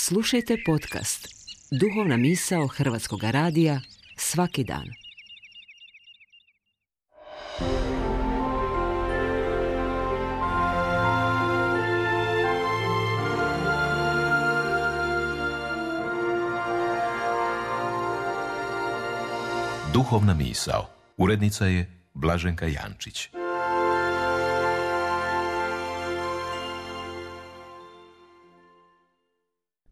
Slušajte podcast Duhovna misao Hrvatskog radija svaki dan. Duhovna misao. Urednica je Blaženka Jančić.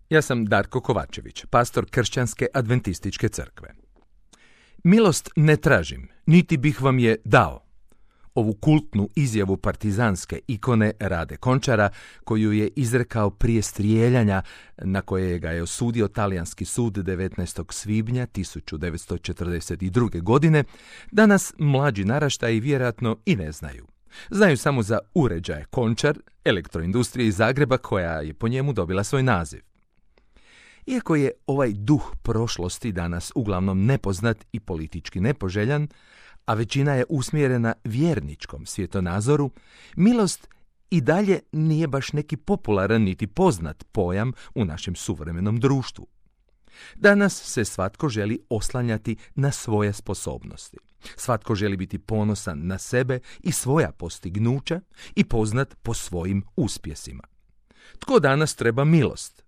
Ja sam Darko Kovačević, pastor Kršćanske adventističke crkve. Milost ne tražim, niti bih vam je dao. Ovu kultnu izjavu partizanske ikone Rade Končara, koju je izrekao prije strijeljanja na koje ga je osudio talijanski sud 19. svibnja 1942. godine, danas mlađi naraštaji vjerojatno i ne znaju. Znaju samo za uređaje Končar, elektroindustrije iz Zagreba, koja je po njemu dobila svoj naziv. Iako je ovaj duh prošlosti danas uglavnom nepoznat i politički nepoželjan, a većina je usmjerena vjerničkom svjetonazoru, milost i dalje nije baš neki popularan niti poznat pojam u našem suvremenom društvu. Danas se svatko želi oslanjati na svoje sposobnosti. Svatko želi biti ponosan na sebe i svoja postignuća i poznat po svojim uspjesima. Tko danas treba milost?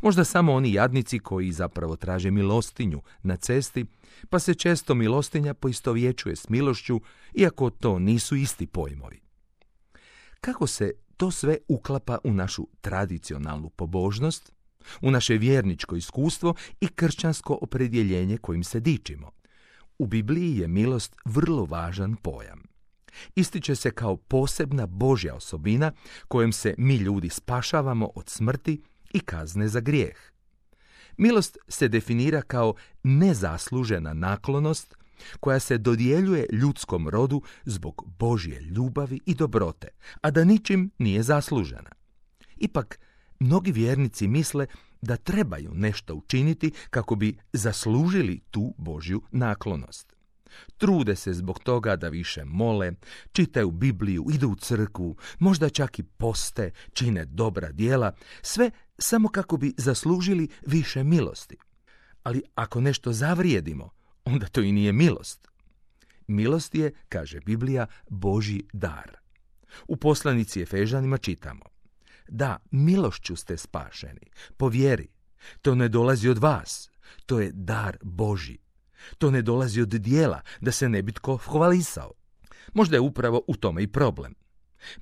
Možda samo oni jadnici koji zapravo traže milostinju na cesti, pa se često milostinja poistovjećuje s milošću, iako to nisu isti pojmovi. Kako se to sve uklapa u našu tradicionalnu pobožnost, u naše vjerničko iskustvo i kršćansko opredjeljenje kojim se dičimo? U Bibliji je milost vrlo važan pojam. Ističe se kao posebna Božja osobina kojom se mi ljudi spašavamo od smrti i kazne za grijeh. Milost se definira kao nezaslužena naklonost koja se dodjeljuje ljudskom rodu zbog Božje ljubavi i dobrote, a da ničim nije zaslužena. Ipak, mnogi vjernici misle da trebaju nešto učiniti kako bi zaslužili tu Božju naklonost. Trude se zbog toga da više mole, čitaju Bibliju, idu u crkvu, možda čak i poste, čine dobra djela, sve samo kako bi zaslužili više milosti. Ali ako nešto zavrijedimo, onda to i nije milost. Milost je, kaže Biblija, Božji dar. U poslanici Efežanima čitamo: da, milošću ste spašeni, po vjeri. To ne dolazi od vas, to je dar Božji. To ne dolazi od djela, da se ne bi tko hvalisao. Možda je upravo u tome i problem.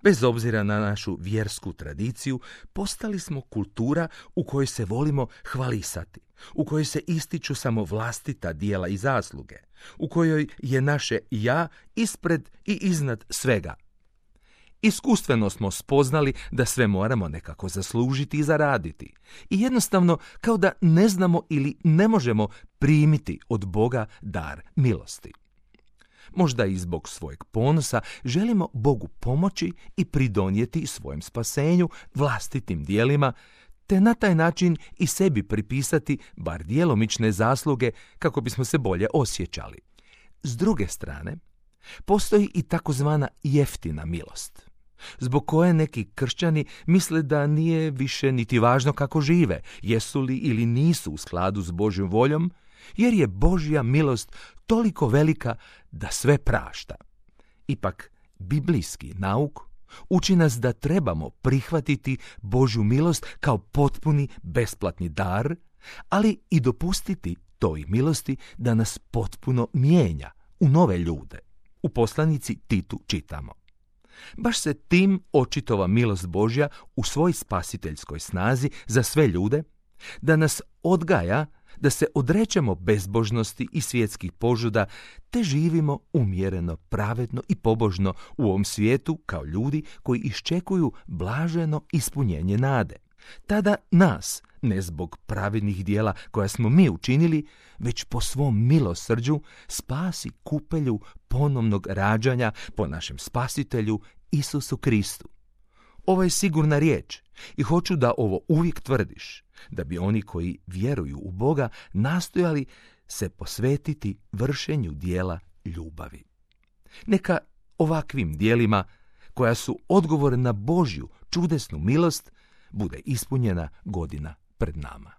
Bez obzira na našu vjersku tradiciju, postali smo kultura u kojoj se volimo hvalisati, u kojoj se ističu samo vlastita djela i zasluge, u kojoj je naše ja ispred i iznad svega. Iskustveno smo spoznali da sve moramo nekako zaslužiti i zaraditi. I jednostavno, kao da ne znamo ili ne možemo primiti od Boga dar milosti. Možda i zbog svojeg ponosa želimo Bogu pomoći i pridonijeti svojem spasenju vlastitim djelima, te na taj način i sebi pripisati bar djelomične zasluge kako bismo se bolje osjećali. S druge strane, postoji i takozvana jeftina milost, zbog koje neki kršćani misle da nije više niti važno kako žive, jesu li ili nisu u skladu s Božjom voljom, jer je Božja milost toliko velika da sve prašta. Ipak, biblijski nauk uči nas da trebamo prihvatiti Božju milost kao potpuni besplatni dar, ali i dopustiti toj milosti da nas potpuno mijenja u nove ljude. U poslanici Titu čitamo: baš se tim očitova milost Božja u svoj spasiteljskoj snazi za sve ljude, da nas odgaja da se odrećemo bezbožnosti i svjetskih požuda, te živimo umjereno, pravedno i pobožno u ovom svijetu kao ljudi koji iščekuju blaženo ispunjenje nade. Tada nas, ne zbog pravednih djela koja smo mi učinili, već po svom milosrđu spasi kupelju ponovnog rađanja po našem spasitelju Isusu Kristu. Ovo je sigurna riječ i hoću da ovo uvijek tvrdiš, da bi oni koji vjeruju u Boga nastojali se posvetiti vršenju djela ljubavi. Neka ovakvim djelima, koja su odgovor na Božju čudesnu milost, bude ispunjena godina pred nama.